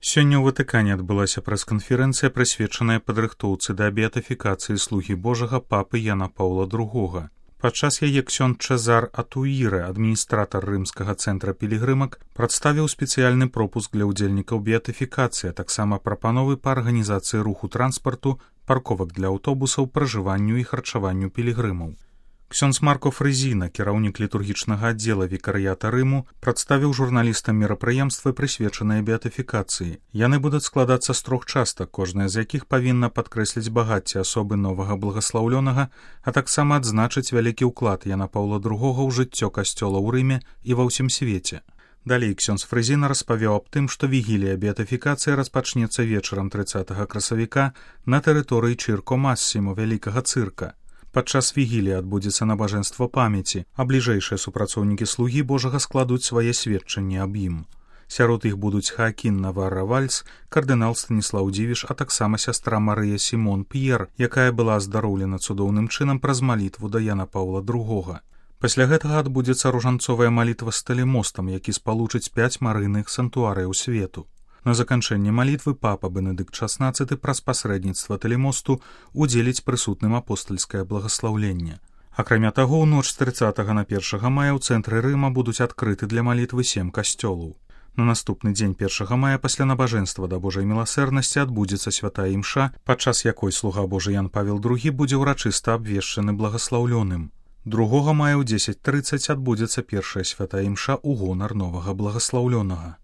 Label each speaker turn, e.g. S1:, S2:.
S1: Сёння ў Ватыкане адбылася прэс-канферэнцыя, прысвечаная падрыхтоўцы да беатыфікацыі слугі Божага папы Яна Паўла II. Падчас яе ксёндз Чезар Атуірэ, адміністратар рымскага цэнтра пілігрымак, прадставіў спецыяльны пропуск для ўдзельнікаў беатыфікацыі, а таксама прапановы па арганізацыі руху транспарту, парковак для аўтобусаў, пражыванню і харчаванню пілігрымаў. Ксёндз Марко Фрызіна, кіраўнік літургічнага аддзела вікарыята Рыму, прадставіў журналістам мерапрыемствы, прысвечаныя беатыфікацыі. Яны будуць складацца з 3 частак, кожная з якіх павінна падкрэсліць багацце асобы новага благаслаўлёнага, а таксама адзначыць вялікі ўклад Яна Паўла II ў жыццё касцёла ў Рыме і ва ўсім свеце. Далей ксёндз Фрызіна распавёў аб тым, што вігілія беатыфікацыі распачнецца вечарам 30 красавіка на тэрыторыі Чырко Массімо вялікага цырка. Падчас вігіліі адбудзецца набажэнства памяці, а бліжэйшыя супрацоўнікі слугі Божага складуць свае сведчанні аб ім. Сярод іх будуць Хаакін Наварра Вальс, кардынал Станіслаў Дзівіш, а таксама сястра Марыя Сімон П'ер, якая была аздароўлена цудоўным чынам праз малітву да Яна Паўла II. Пасля гэтага адбудзецца ружанцовая малітва з талемостам, які спалучыць 5 марыйных санктуарыяў свету. На заканчэнне малітвы папа Бенедыкт XVI праз пасрэдніцтва талемосту удзеліць прысутным апостальскае благаслаўленне. Акрамя таго, у ноч з 30 на 1 мая ў цэнтры Рыма будуць адкрыты для малітвы 7 касцёлаў. На наступны дзень 1 мая пасля набажэнства да Божай міласэрнасці адбудзецца святая імша, падчас якой слуга Божы Ян Павел II будзе ўрачыста абвешчаны благаслаўлёным. 2 мая ў 10:30 адбудзецца першая святая імша ў гонар новага благаслаўлёнага.